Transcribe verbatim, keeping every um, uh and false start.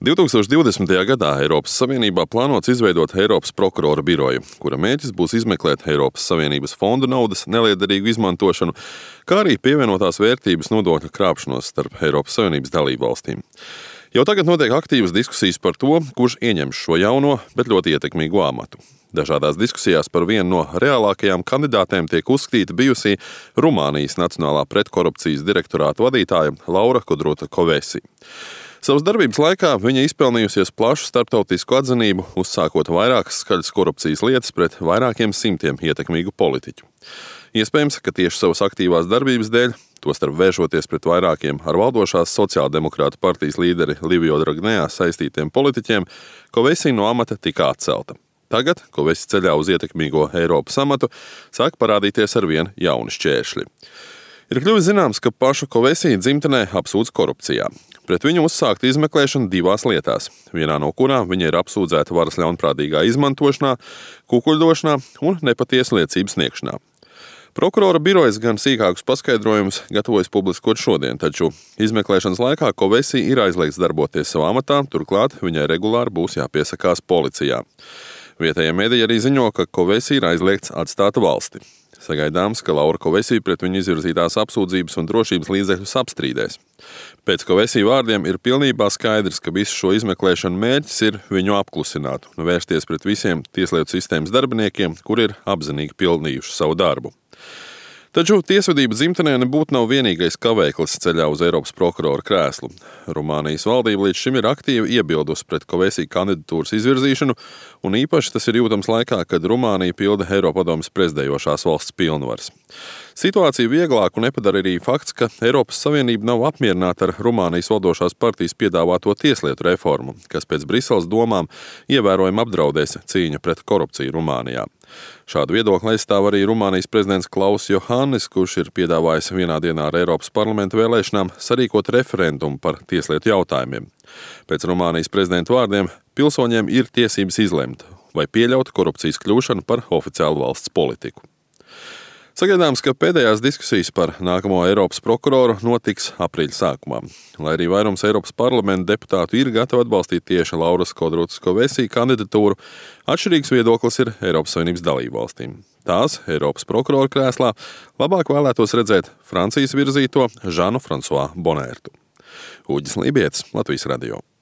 divtūkstoš divdesmitajā gadā Eiropas Savienībā plānots izveidot Eiropas prokurora biroju, kura mērķis būs izmeklēt Eiropas Savienības fondu naudas neliederīgu izmantošanu, kā arī pievienotās vērtības nodokļu krāpšanos starp Eiropas Savienības dalībvalstīm. Jau tagad notiek aktīvas diskusijas par to, kurš ieņems šo jauno, bet ļoti ietekmīgu amatu. Dažādās diskusijās par vienu no reālākajām kandidātēm tiek uzskatīta bijusī Rumānijas Nacionālā pretkorupcijas direktorāta vadītāja Laura Kudrota-Kovesi. Savas darbības laikā viņa izpelnījusies plašu starptautisku atzinību, uzsākot vairākas skaļas korupcijas lietas pret vairākiem simtiem ietekmīgu politiķu. Iespējams, ka tieši savas aktīvās darbības dēļ, tostarp vēršoties pret vairākiem ar valdošās sociāldemokrātu partijas līderi Livio Dragnea saistītiem politiķiem, Kovesi no amata tika atcelta. Tagad Kovesi ceļā uz ietekmīgo Eiropas amatu sāk parādīties arvien jauni šķēršļi. Ir kļuvis zināms, ka pašu Kovesi dzimtenē apsūdz korupcijā. Pret viņu uzsākta izmeklēšana divās lietās, vienā no kurām viņa ir apsūdzēta varas ļaunprātīgā izmantošanā, kukuļdošanā un nepatiesu liecību sniegšanā. Prokurora birojas gan sīkākus paskaidrojumus gatavojas publiskot šodien, taču izmeklēšanas laikā Kovesi ir aizliegts darboties savā amatā, turklāt viņai regulāri būs jāpiesakās policijā. Vietējie mediji arī ziņo, ka Kovesi ir aizliegts atstāt valsti. Sagaidāms, ka Laura Kovesi pret viņu izvirzītās apsūdzības un drošības līdzekļus apstrīdēs. Pēc Kovesi vārdiem ir pilnībā skaidrs, ka visu šo izmeklēšanu mērķis ir viņu apklusināt un vērsties pret visiem tieslietu sistēmas darbiniekiem, kuri ir apzinīgi pildījuši savu darbu. Taču tiesvedība dzimtenē nebūtu nav vienīgais kavēklis ceļā uz Eiropas prokurora krēslu. Rumānijas valdība līdz šim ir aktīvi iebildusi pret Kovesi kandidatūras izvirzīšanu, un īpaši tas ir jūtams laikā, kad Rumānija pilda Eiropadomes prezidējošās valsts pilnvaras. Situāciju vieglāku nepadara arī fakts, ka Eiropas Savienība nav apmierināta ar Rumānijas valdošās partijas piedāvāto tieslietu reformu, kas pēc Briseles domām ievērojami apdraudēs cīņu pret korupciju Rumānijā. Šādu viedokli aizstāv arī Rumānijas prezidents Klaus Johannis, kurš ir piedāvājis vienā dienā ar Eiropas parlamenta vēlēšanām sarīkot referendumu par tieslietu jautājumiem. Pēc Rumānijas prezidenta vārdiem pilsoņiem ir tiesības izlemt, vai pieļaut korupcijas kļūšanu par oficiālu valsts politiku. Sagaidāms, ka pēdējās diskusijas par nākamo Eiropas prokuroru notiks aprīļa sākumā. Lai arī vairums Eiropas parlamenta deputātu ir gatavi atbalstīt tieši Lauras Kudrotas-Kovesi kandidatūru, atšķirīgs viedoklis ir Eiropas Savienības dalībvalstīm. Tās Eiropas prokurora krēslā labāk vēlētos redzēt Francijas virzīto Žanu Fransuā Bonērtu. Uģis Lībietis, Latvijas radio.